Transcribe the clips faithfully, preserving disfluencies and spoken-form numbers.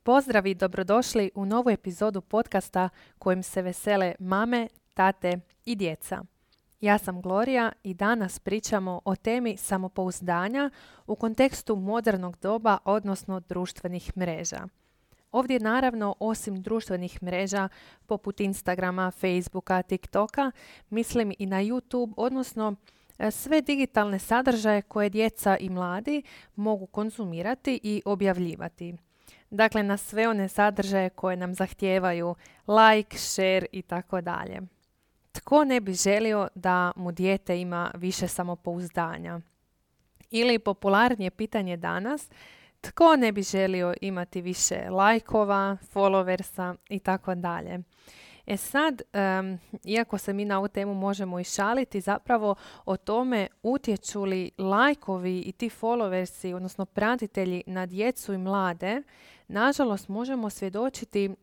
Pozdrav i dobrodošli u novu epizodu podcasta kojim se vesele mame, tate i djeca. Ja sam Gloria i danas pričamo o temi samopouzdanja u kontekstu modernog doba, odnosno društvenih mreža. Ovdje naravno, osim društvenih mreža poput Instagrama, Facebooka, TikToka, mislim i na YouTube, odnosno sve digitalne sadržaje koje djeca i mladi mogu konzumirati i objavljivati. Dakle, na sve one sadržaje koje nam zahtijevaju like, share i tako dalje. Tko ne bi želio da mu dijete ima više samopouzdanja? Ili popularnije pitanje danas, tko ne bi želio imati više lajkova, followersa i tako dalje? E sad, um, iako se mi na ovu temu možemo i šaliti, zapravo o tome utječu li lajkovi i ti followersi, odnosno pratitelji na djecu i mlade, nažalost možemo svjedočiti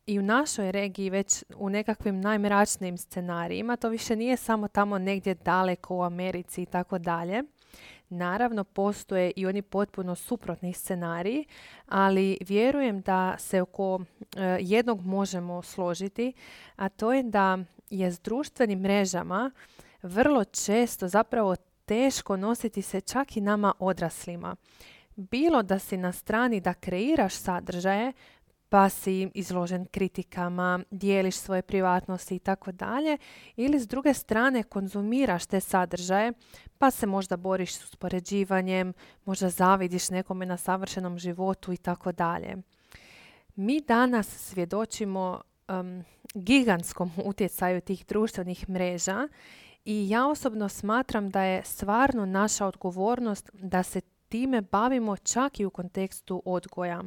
i u našoj regiji već u nekakvim najmračnijim scenarijima. To više nije samo tamo negdje daleko u Americi i tako dalje. Naravno, postoje i oni potpuno suprotni scenariji, ali vjerujem da se oko e, jednog možemo složiti, a to je da je s društvenim mrežama vrlo često zapravo teško nositi se čak i nama odraslima. Bilo da si na strani da kreiraš sadržaje, pa si izložen kritikama, dijeliš svoje privatnosti i tako dalje, ili s druge strane konzumiraš te sadržaje, pa se možda boriš s uspoređivanjem, možda zavidiš nekome na savršenom životu i tako dalje. Mi danas svjedočimo um, gigantskom utjecaju tih društvenih mreža i ja osobno smatram da je stvarno naša odgovornost da se time bavimo čak i u kontekstu odgoja.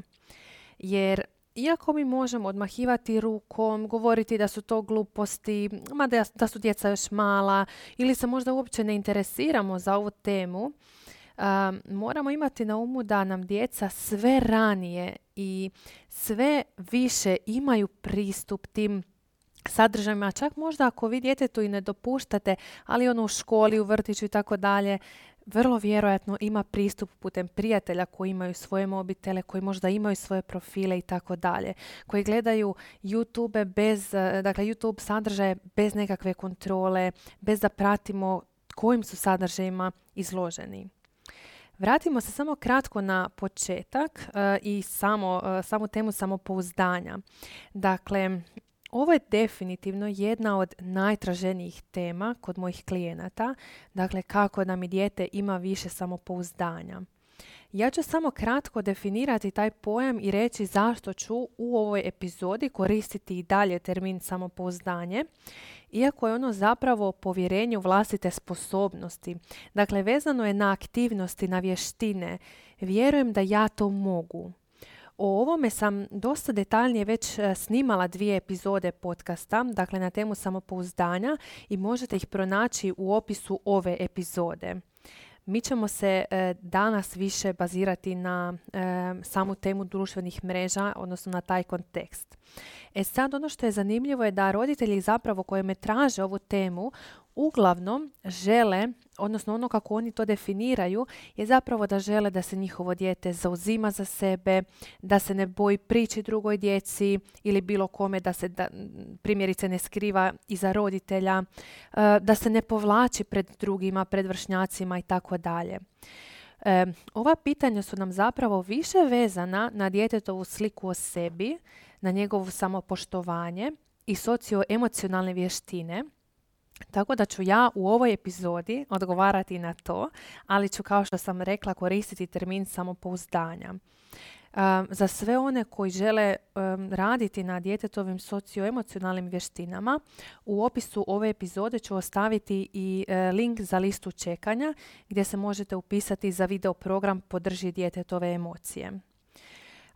Jer iako mi možemo odmahivati rukom, govoriti da su to gluposti, mada da su djeca još mala ili se možda uopće ne interesiramo za ovu temu, um, moramo imati na umu da nam djeca sve ranije i sve više imaju pristup tim sadržajima. Čak možda ako vi djetetu i ne dopuštate, ali ono u školi, u vrtiću i tako dalje, vrlo vjerojatno ima pristup putem prijatelja koji imaju svoje mobitele, koji možda imaju svoje profile i tako dalje, koji gledaju YouTube bez, dakle YouTube sadržaje bez nekakve kontrole, bez da pratimo kojim su sadržajima izloženi. Vratimo se samo kratko na početak uh, i samo, uh, samu temu samopouzdanja. Dakle, ovo je definitivno jedna od najtraženijih tema kod mojih klijenata, dakle kako da mi dijete ima više samopouzdanja. Ja ću samo kratko definirati taj pojam i reći zašto ću u ovoj epizodi koristiti i dalje termin samopouzdanje, iako je ono zapravo povjerenje u vlastite sposobnosti. Dakle, vezano je na aktivnosti, na vještine. Vjerujem da ja to mogu. O ovome sam dosta detaljnije već snimala dvije epizode podcasta, dakle na temu samopouzdanja, i možete ih pronaći u opisu ove epizode. Mi ćemo se e, danas više bazirati na e, samu temu društvenih mreža, odnosno na taj kontekst. E sad, ono što je zanimljivo je da roditelji zapravo koji me traže ovu temu uglavnom žele, odnosno ono kako oni to definiraju, je zapravo da žele da se njihovo dijete zauzima za sebe, da se ne boji prići drugoj djeci ili bilo kome, da se da, primjerice ne skriva iza roditelja, da se ne povlači pred drugima, pred vršnjacima i tako dalje. E, ova pitanja su nam zapravo više vezana na djetetovu sliku o sebi, na njegovo samopoštovanje i socioemocionalne vještine. Tako da ću ja u ovoj epizodi odgovarati na to, ali ću, kao što sam rekla, koristiti termin samopouzdanja. Um, za sve one koji žele um, raditi na djetetovim socioemocionalnim vještinama, u opisu ove epizode ću ostaviti i uh, link za listu čekanja gdje se možete upisati za video program Podrži djetetove emocije.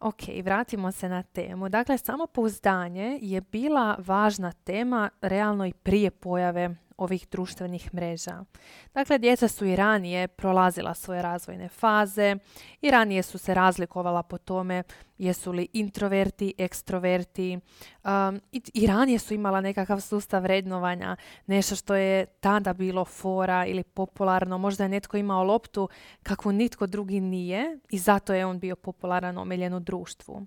Ok, vratimo se na temu. Dakle, samopouzdanje je bila važna tema realno i prije pojave ovih društvenih mreža. Dakle, djeca su i ranije prolazila svoje razvojne faze i ranije su se razlikovala po tome jesu li introverti, ekstroverti, um, i, i ranije su imala nekakav sustav vrednovanja, nešto što je tada bilo fora ili popularno. Možda je netko imao loptu kakvu nitko drugi nije i zato je on bio popularan, omiljen u društvu.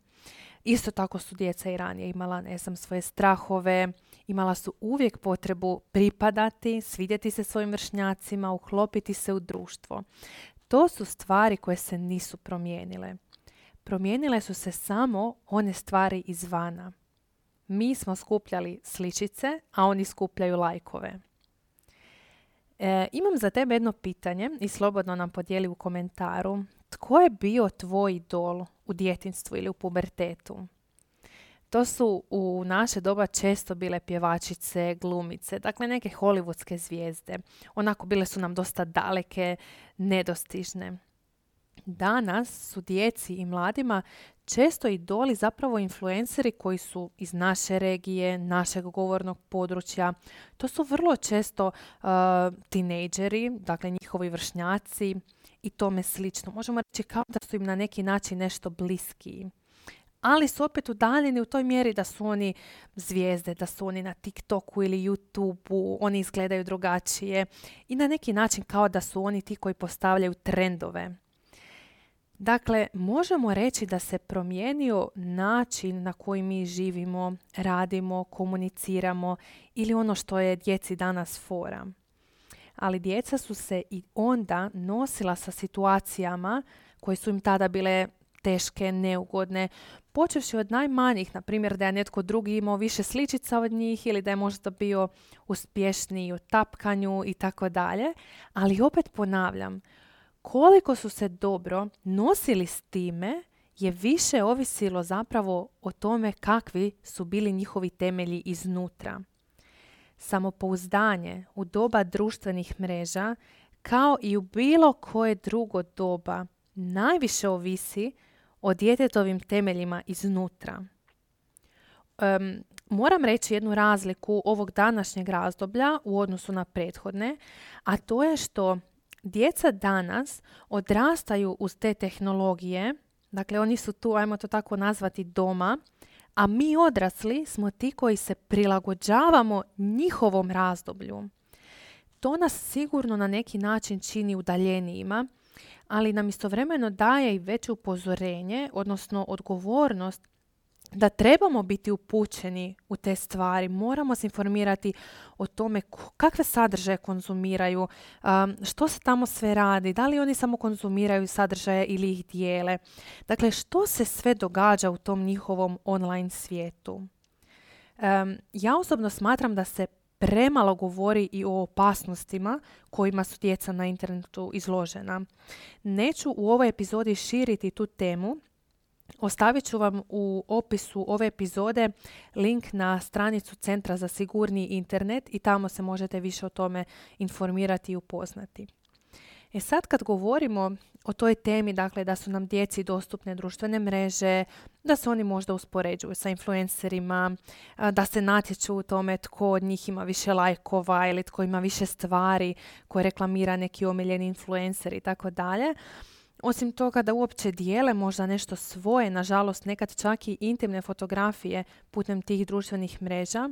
Isto tako su djeca i ranije imala, ne znam, svoje strahove, imala su uvijek potrebu pripadati, svidjeti se svojim vršnjacima, uklopiti se u društvo. To su stvari koje se nisu promijenile. Promijenile su se samo one stvari izvana. Mi smo skupljali sličice, a oni skupljaju lajkove. E, imam za tebe jedno pitanje i slobodno nam podijeli u komentaru. Tko je bio tvoj idol u djetinjstvu ili u pubertetu? To su u naše doba često bile pjevačice, glumice, dakle neke hollywoodske zvijezde. Onako bile su nam dosta daleke, nedostižne. Danas su djeci i mladima često idoli zapravo influenceri koji su iz naše regije, našeg govornog područja. To su vrlo često uh, tinejdžeri, dakle njihovi vršnjaci i tome slično. Možemo reći kao da su im na neki način nešto bliskiji. Ali su opet udaljeni u toj mjeri da su oni zvijezde, da su oni na TikToku ili YouTubeu, oni izgledaju drugačije i na neki način kao da su oni ti koji postavljaju trendove. Dakle, možemo reći da se promijenio način na koji mi živimo, radimo, komuniciramo ili ono što je djeci danas fora. Ali djeca su se i onda nosila sa situacijama koje su im tada bile teške, neugodne, počevši od najmanjih, na primjer da je netko drugi imao više sličica od njih ili da je možda bio uspješniji u tapkanju i tako dalje. Ali opet ponavljam, koliko su se dobro nosili s time je više ovisilo zapravo o tome kakvi su bili njihovi temelji iznutra. Samopouzdanje u doba društvenih mreža, kao i u bilo koje drugo doba, najviše ovisi o djetetovim temeljima iznutra. Um, moram reći jednu razliku ovog današnjeg razdoblja u odnosu na prethodne, a to je što djeca danas odrastaju uz te tehnologije, dakle oni su tu, ajmo to tako nazvati, doma, a mi odrasli smo ti koji se prilagođavamo njihovom razdoblju. To nas sigurno na neki način čini udaljenijima, ali nam istovremeno daje i veće upozorenje, odnosno odgovornost da trebamo biti upućeni u te stvari. Moramo se informirati o tome kakve sadržaje konzumiraju, um, što se tamo sve radi, da li oni samo konzumiraju sadržaje ili ih dijele. Dakle, što se sve događa u tom njihovom online svijetu. Um, ja osobno smatram da se premalo govori i o opasnostima kojima su djeca na internetu izložena. Neću u ovoj epizodi širiti tu temu. Ostavit ću vam u opisu ove epizode link na stranicu Centra za sigurniji internet i tamo se možete više o tome informirati i upoznati. E sad kad govorimo o toj temi, dakle da su nam djeci dostupne društvene mreže, da se oni možda uspoređuju sa influencerima, da se natječu u tome tko od njih ima više lajkova ili tko ima više stvari koje reklamira neki omiljeni influencer i tako dalje. Osim toga da uopće dijele možda nešto svoje, nažalost nekad čak i intimne fotografije putem tih društvenih mreža,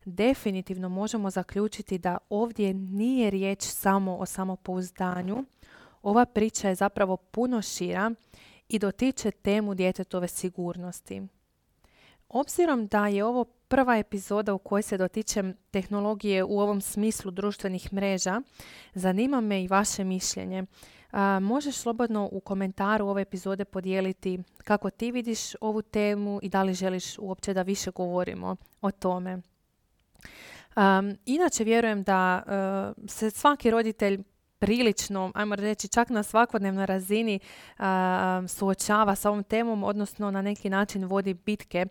definitivno možemo zaključiti da ovdje nije riječ samo o samopouzdanju. Ova priča je zapravo puno šira i dotiče temu djetetove sigurnosti. Obzirom da je ovo prva epizoda u kojoj se dotičem tehnologije u ovom smislu društvenih mreža, zanima me i vaše mišljenje. A, možeš slobodno u komentaru ove epizode podijeliti kako ti vidiš ovu temu i da li želiš uopće da više govorimo o tome. Um, inače vjerujem da uh, se svaki roditelj prilično, ajmo reći čak na svakodnevnoj razini uh, suočava sa ovom temom, odnosno na neki način vodi bitke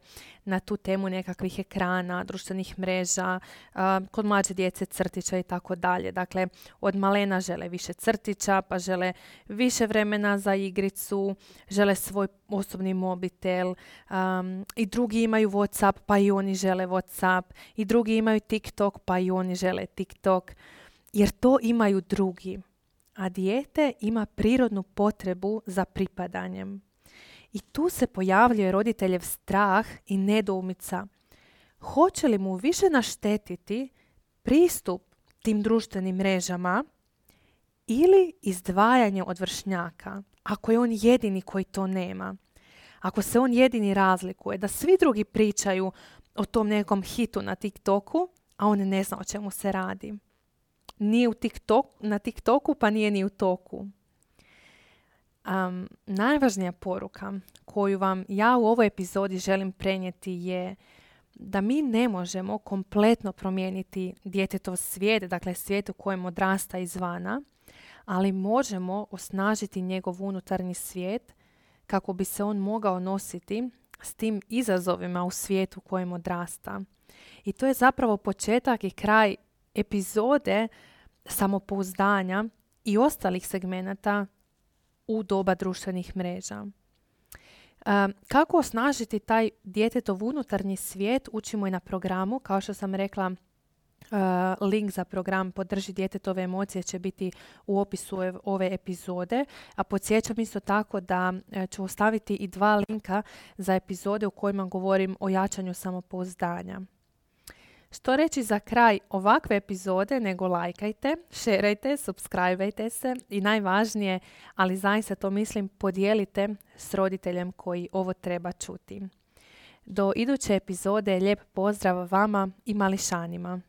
na tu temu nekakvih ekrana, društvenih mreža, uh, kod mlađe djece crtića i tako dalje. Dakle, od malena žele više crtića, pa žele više vremena za igricu, žele svoj osobni mobitel, um, i drugi imaju WhatsApp, pa i oni žele WhatsApp, i drugi imaju TikTok, pa i oni žele TikTok. Jer to imaju drugi, a dijete ima prirodnu potrebu za pripadanjem. I tu se pojavljuje roditeljev strah i nedoumica. Hoće li mu više naštetiti pristup tim društvenim mrežama ili izdvajanje od vršnjaka, ako je on jedini koji to nema? ako se on jedini razlikuje, da svi drugi pričaju o tom nekom hitu na TikToku, a on ne zna o čemu se radi. Nije u TikTok, na TikToku, pa nije ni u toku. Um, najvažnija poruka koju vam ja u ovoj epizodi želim prenijeti je da mi ne možemo kompletno promijeniti djetetov svijet, dakle svijet u kojem odrasta izvana, ali možemo osnažiti njegov unutarnji svijet kako bi se on mogao nositi s tim izazovima u svijetu u kojem odrasta. I to je zapravo početak i kraj epizode samopouzdanja i ostalih segmenata u doba društvenih mreža. Kako osnažiti taj djetetov unutarnji svijet učimo i na programu. Kao što sam rekla, link za program Podrži djetetove emocije će biti u opisu ove epizode. A podsjećam isto tako da ću ostaviti i dva linka za epizode u kojima govorim o jačanju samopouzdanja. Što reći za kraj ovakve epizode nego lajkajte, šerajte, subscribeajte se i najvažnije, ali zaista to mislim, podijelite s roditeljem koji ovo treba čuti. Do iduće epizode lijep pozdrav vama i mališanima.